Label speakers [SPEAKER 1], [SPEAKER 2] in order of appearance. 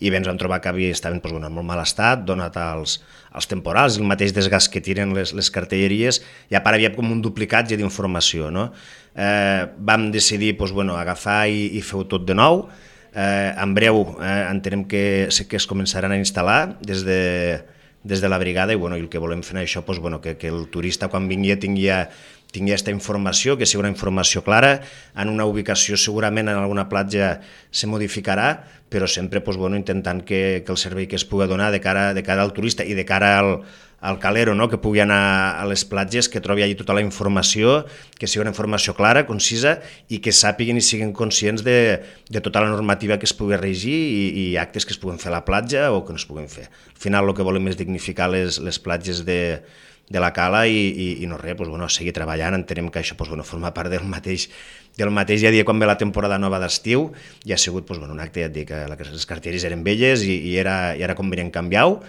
[SPEAKER 1] i bé, ens vam trobar que estaven en molt mal estat, donat als temporals, el mateix desgast que tiren les cartelleries, i a part havia com un duplicatge d'informació, no? Vam decidir agafar i fer-ho tot de nou. En breu entenem que es començaran a instal·lar des de la brigada, i el que volem fer això, que el turista quan vingui tingui aquesta informació, que sigui una informació clara. En una ubicació segurament en alguna platja se modificarà, però sempre intentant que el servei que es pugui donar de cara al turista i de cara al calero, no? Que pugui anar a les platges, que trobi allà tota la informació, que sigui una informació clara, concisa, i que sàpiguen i siguin conscients de tota la normativa que es pugui regir i actes que es puguen fer a la platja o que no es puguen fer. Al final el que volem és dignificar les platges de la Cala i no res, seguir treballant. Entenem que això forma part del mateix dia a dia quan ve la temporada nova d'estiu, i ha sigut un acte, ja et dic, que les cartelleries eren velles i era convenient canviar-ho,